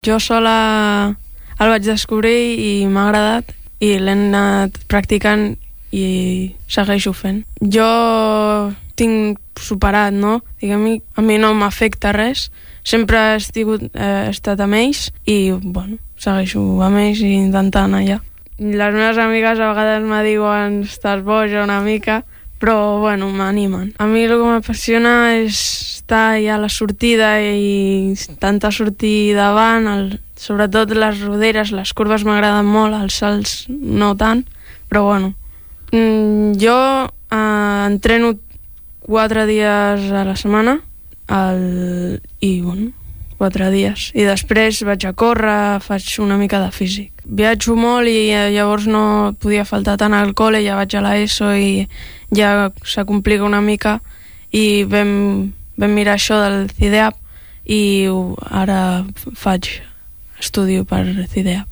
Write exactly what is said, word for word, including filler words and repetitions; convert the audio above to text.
Jo sola el vaig descobrir i m'ha agradat i l'he anat practicant i segueixo fent. Jo tinc superat, no? Diguem, a mi no m'afecta res, sempre he, estigut, eh, he estat amb ells i, bueno, segueixo amb ells i intentant allà. Les meves amigues a vegades me diuen estàs boja una mica, però, bueno, m'animen. A mi el que m'apassiona és estar allà a la sortida i intentar sortir davant, el, sobretot les roderes, les curves m'agraden molt, els salts no tant, però, bueno. Mm, jo eh, entreno quatre dies a la setmana el, i, bueno, quatre dies. I després vaig a córrer, faig una mica de físic. Viatjo molt i llavors no podia faltar tant al col·le, ja vaig a l'ESO i ja se complica una mica i vam, vam mirar això del CIDEAP i ara faig, estudio per CIDEAP.